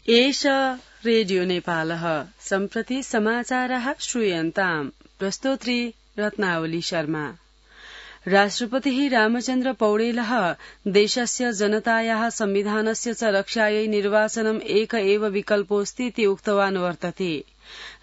एष रेडियो नेपालः सम्प्रति समाचारः श्रूयन्ताम्। प्रस्तोत्री रत्नावली शर्मा। राष्ट्रपतिः रामचन्द्र पौडेलः देशस्य जनतायाः संविधानस्य च रक्षायै निर्वाचनम् एक एव विकल्पोऽस्तीति उक्तवान् वर्तते।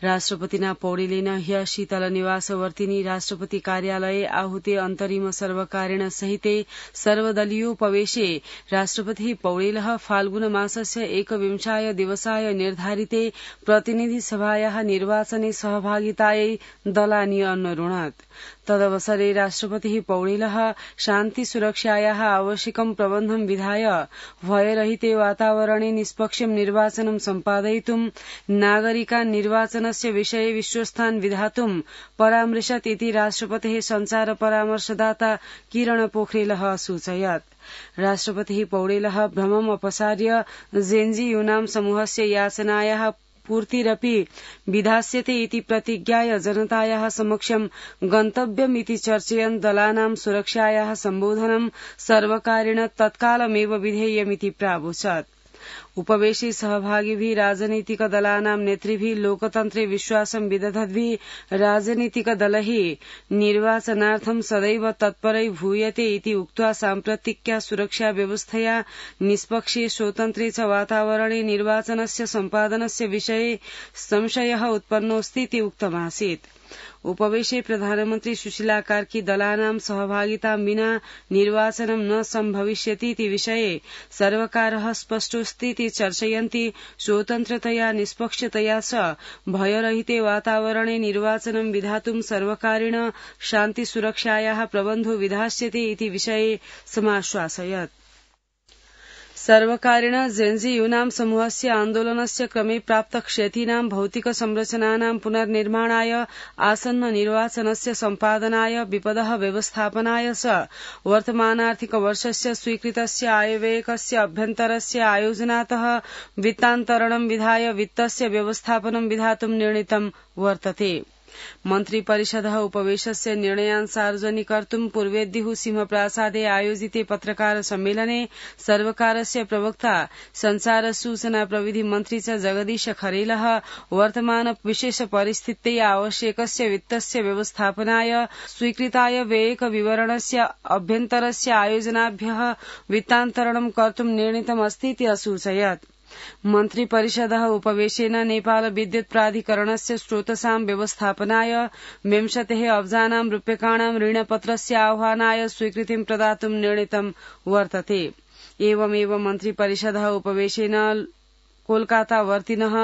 राष्ट्रपतिना पौडेलेन ह्य शीतल निवासवर्तिनी राष्ट्रपति कार्यालये आहूते अन्तरिम सर्वकारेण सहिते सर्वदलीयोपवेशे राष्ट्रपतिः पौडेलः फाल्गुन मासस्य 21 दिवसाय निर्धारिते प्रतिनिधि सभायाः निर्वाचने सहभागितायै दलानि अन्वरुणत्। तदवसरे राष्ट्रपतिः पौडेलः शान्ति सुरक्षायाः आवश्यकं प्रबन्धं विधाय भयरहिते वातावरणे निष्पक्षं निर्वाचनं सम्पादयितुं नागरिकान् निर्वाचनस्य विषये विश्वस्थान् विधातुं परामृशत् इति राष्ट्रपतेः सञ्चार परामर्शदाता किरण पोखरेलः असूचयत्। राष्ट्रपतिः पौडेलः भ्रमम् अपसार्य जेन्जी यूनां समूहस्य याचनायाः पूर्तिरपि विधास्यते इति प्रतिज्ञाय जनतायाः समक्षं गन्तव्यमिति चर्चयन् दलानां सुरक्षायाः सम्बोधनं सर्वकारेण तत्कालमेव विधेयमिति प्रावोचत्। उपवेशे सहभागिभिः राजनीतिक दलानां नेतृभिः लोकतन्त्रे विश्वासं विदधद्भिः राजनीतिक दलैः निर्वाचनार्थं सदैव तत्परै भूयते इति उक्त्वा साम्प्रतिक्या सुरक्षा व्यवस्थया निष्पक्षे स्वतन्त्रे च वातावरणे निर्वाचनस्य सम्पादनस्य विषये संशयः उत्पन्नोऽस्तीति उक्तमासीत्। उपवेशे प्रधानमन्त्री सुशीला कार्की दलानां सहभागितां विना निर्वाचनं न सम्भविष्यतीति विषये सर्वकारः स्पष्टोऽस्तीति चर्चयन्ति स्वतन्त्रतया निष्पक्षतया च भयरहिते वातावरणे निर्वाचनं विधातुं सर्वकारेण शान्ति सुरक्षायाः प्रबन्धो विधास्यते इति विषये समाश्वासयत्। सर्वकारेण जेन्जी यूनां समूहस्य आन्दोलनस्य क्रमे प्राप्त क्षतीनां भौतिक संरचनानां पुनर्निर्माणाय आसन्न निर्वाचनस्य सम्पादनाय विपदः व्यवस्थापनाय च वर्तमानार्थिक वर्षस्य स्वीकृतस्य आयव्ययकस्य अभ्यन्तरस्य आयोजनातः वित्तान्तरणं विधाय वित्तस्य व्यवस्थापनं विधातुं निर्णीतं वर्तते। मन्त्रिपरिषदः उपवेशस्य निर्णयान् सार्वजनिकर्तुं पूर्वेद्युः सिंहप्रासादे आयोजिते पत्रकार सम्मेलने सर्वकारस्य प्रवक्ता संचार सूचना प्रविधि मन्त्री च जगदीश खरेलः वर्तमान विशेष परिस्थित्यै आवश्यकस्य वित्तस्य व्यवस्थापनाय स्वीकृताय व्ययक विवरणस्य अभ्यन्तरस्य आयोजनाभ्यः वित्तान्तरणं कर्तुं निर्णीतमस्तीति असूचयत्। मन्त्रिपरिषदः उपवेशेन नेपाल विद्युत प्राधिकरणस्य स्रोतसां व्यवस्थापनाय 20 अब्जानां रूप्यकाणां ऋणपत्रस्य आह्वानाय स्वीकृतिं प्रदातुं निर्णीतं वर्तते। एवमेव मन्त्रिपरिषदः उपवेशेन कोलकातावर्तिनः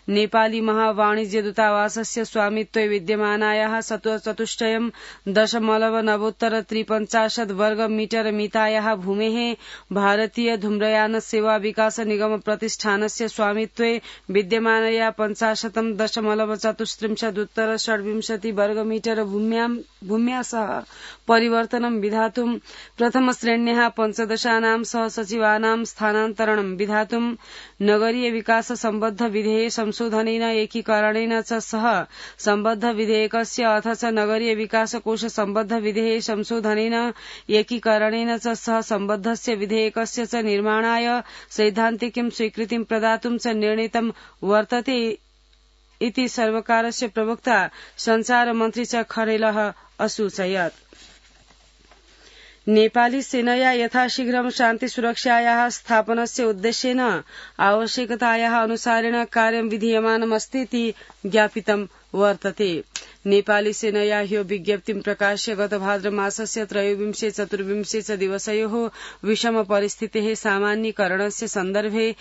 नेपाली महावाणिज्य दूतावासस्य स्वामित्वे विद्यमानायाः 7.9 वर्गमीटर मितायाः भूमेः भारतीय धूम्रयान सेवा विकास निगम प्रतिष्ठानस्य स्वामित्वे विद्यमानया 50.34 वर्गमीटर भूम्या सह परिवर्तनं विधातुं प्रथमश्रेण्याः 15 सहसचिवानां स्थानान्तरणं विधातुं नगरीय विकास सम्बद्ध विधेय संशोधनेन एकीकरणेन च सह सम्बद्ध विधेयकस्य अथ च नगरीय विकास कोष सम्बद्ध विधेय संशोधनेन एकीकरणेन च सह सम्बद्धस्य विधेयकस्य च निर्माणाय सैद्धान्तिकीं स्वीकृतिं प्रदातुं च निर्णीतं वर्तते इति सर्वकारस्य प्रवक्ता संचार मन्त्री च खरेलः असूचयत्। नेपाली सेनया यथाशीघ्रं शान्ति सुरक्षायाः स्थापनस्य उद्देश्येन आवश्यकतायाः अनुसारेण कार्यं विधीयमानमस्तीति ज्ञापितं वर्तते। नेपाली सेनया ह्यो विज्ञप्तिं प्रकाश्य गत भाद्रमासस्य 23-24 च दिवसयोः विषम परिस्थितेः सामान्यीकरणस्य सन्दर्भे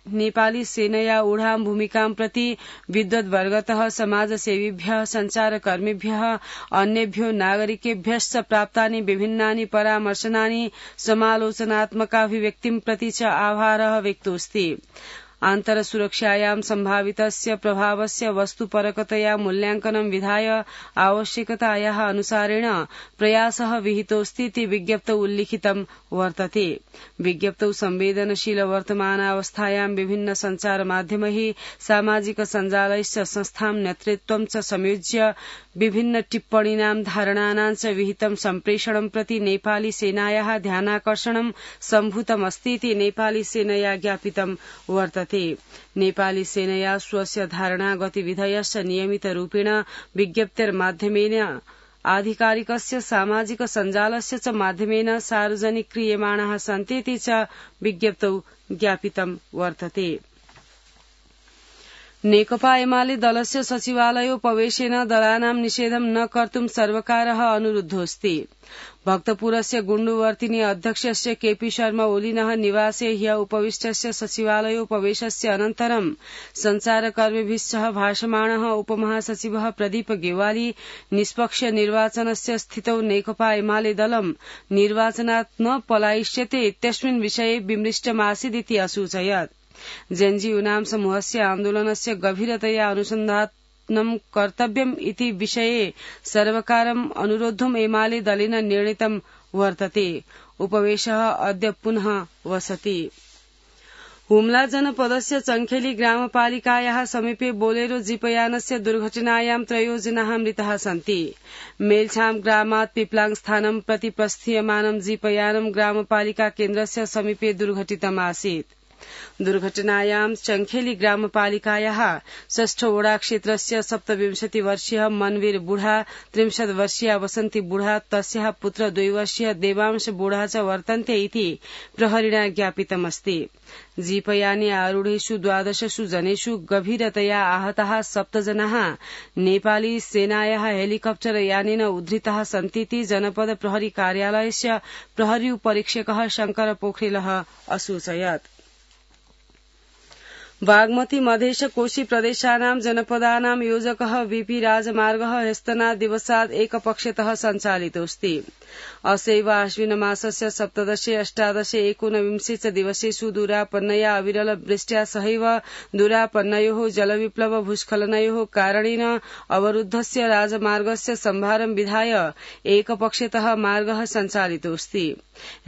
नेपाली सेनया ऊढां भूमिकां प्रति विद्वद्वर्गतः समाजसेवीभ्यः सञ्चारकर्मिभ्यः अन्येभ्यो नागरिकेभ्यश्च प्राप्तानि विभिन्नानि परामर्शनानि समालोचनात्मकाभिव्यक्तिं प्रति च आभारः व्यक्तोऽस्ति। आन्तरसुरक्षायां सम्भावितस्य प्रभावस्य वस्तुपरकतया मूल्यांकनं विधाय आवश्यकतायाः अनुसारेण प्रयासः विहितोऽस्ति इति विज्ञप्तौ उल्लिखितं वर्तते। विज्ञप्तौ संवेदनशील वर्तमानावस्थायां विभिन्न सञ्चारमाध्यमैः सामाजिक सञ्जालैश्च संस्थां नेतृत्वं च संयोज्य विभिन्न टिप्पणीनां धारणानां च विहितं सम्प्रेषणं प्रति नेपाली सेनायाः ध्यानाकर्षणं सम्भूतमस्ति इति नेपाली सेनया ज्ञापितं वर्तते। नेपाली सेनया स्वस्य धारणा गतिविधयश्च नियमितरूपेण विज्ञप्तिर्माध्यमेन आधिकारिकस्य सामाजिक सञ्जालस्य च माध्यमेन सार्वजनिक्रियमाणाः सन्ति इति च विज्ञप्तौ ज्ञापितं वर्तते। नेकपा एमाले दलस्य सचिवालयोपवेशेन दलानां निषेधं न कर्तुं सर्वकारः अनुरुद्धोऽस्ति। भक्तपुरस्य गुण्डुवर्तिनी अध्यक्षस्य केपी शर्मा ओलिनः निवासे ह्य उपविष्टस्य सचिवालयोपवेशस्य अनन्तरं सञ्चारकर्मिभिः सह भाषमाणः उपमहासचिवः प्रदीप गेवाली निष्पक्ष निर्वाचनस्य स्थितौ नेकपा एमाले दलं निर्वाचनात् न पलायिष्यते इत्यस्मिन् विषये विमृष्टमासीदिति असूचयत्। जेएनयू समूहस्य आन्दोलनस्य गभीरतया अनुसन्धानं कर्तव्यम् इति विषये सर्वकारम् अनुरोद्धुम् एमाले दलेन निर्णीतं वर्तते। उपवेशः अद्य पुनः वसति। हुम्ला जनपदस्य चङ्खेली ग्रामपालिकायाः समीपे बोलेरो जीपयानस्य दुर्घटनायां 3 जनाः मृताः सन्ति। मेलछाम ग्रामात् पिप्लाङ स्थानं प्रति प्रस्थीयमानं जीपयानं ग्रामपालिका केन्द्रस्य समीपे दुर्घटितम् आसीत्। दुर्घटनायां चङ्खेली ग्रामपालिकायाः 6 वडा क्षेत्रस्य 27 वर्षीय मनवीर बुढा, 30 वर्षीय वसन्ती बुढा, तस्याः पुत्र 2 वर्षीय देवांश बुढा च वर्तन्ते इति प्रहरिणा ज्ञापितमस्ति। जीपयाने आरूढेषु 12 जनेषु गभीरतया आहताः 7 जनाः नेपाली सेनायाः हेलिकप्टर यानेन उद्धृताः सन्तीति जनपद प्रहरी कार्यालयस्य प्रहरी उपरीक्षकः शंकर पोखरेलः असूचयत्। बागमती मधेश कोशी प्रदेशानां जनपदानां योजकः वीपी राजमार्गः ह्यस्तनात् दिवसात् एकपक्षतः सञ्चालितोऽस्ति। असैव आश्विनमासस्य 17, 18, 19 च दिवसेषु दूरापन्नया अविरल वृष्ट्या सहैव दूरापन्नयोः जलविप्लव भूस्खलनयोः कारणेन अवरुद्धस्य राजमार्गस्य सम्भारं विधाय एकपक्षतः मार्गः सञ्चालितोऽस्ति।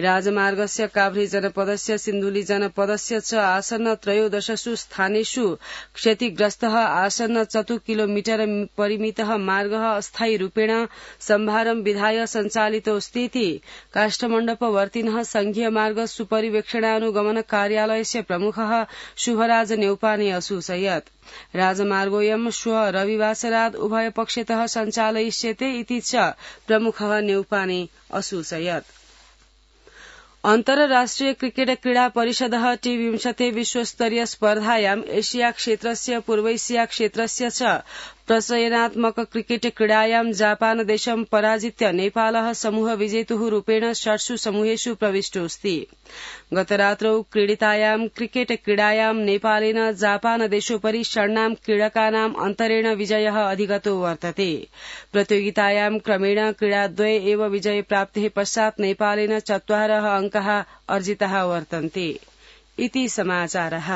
राजमार्गस्य काभ्रे जनपदस्य सिन्धुली जनपदस्य च आसन्न 13 स्थानेषु क्षतिग्रस्तः आसन्न 4 किलोमीटर परिमितः मार्गः अस्थायी रूपेण सम्भारं विधाय सञ्चालितोऽस्ति इति काष्ठमण्डपवर्तिनः संघीय मार्ग सुपरिवेक्षणानुगमन कार्यालयस्य प्रमुखः शुभराज नेउपाने असूचयत्। राजमार्गोऽयं श्वः रविवासरात् उभयपक्षतः सञ्चालयिष्यते इति च प्रमुखः नेउपाने असूचयत्। अन्तर्राष्ट्रिय क्रिकेट क्रीडा परिषदः T20 विश्वस्तरीय स्पर्धायाम् एशिया क्षेत्रस्य पूर्वैशिया क्षेत्रस्य च प्रचयनात्मक क्रिकेट क्रीडायां जापान देशं पराजित्य नेपालः समूह विजेतुः रूपेण 6 समूहेषु प्रविष्टोऽस्ति। गतरात्रौ क्रीडितायां क्रिकेट क्रीडायां नेपालेन जापान देशोपरि 6 क्रीडकानां अन्तरेण विजयः अधिगतो वर्तते। प्रतियोगितायां क्रमेण क्रीडाद्वये एव विजय प्राप्तेः पश्चात् नेपालेन 4 अङ्काः अर्जिताः वर्तन्ते। इति समाचारः।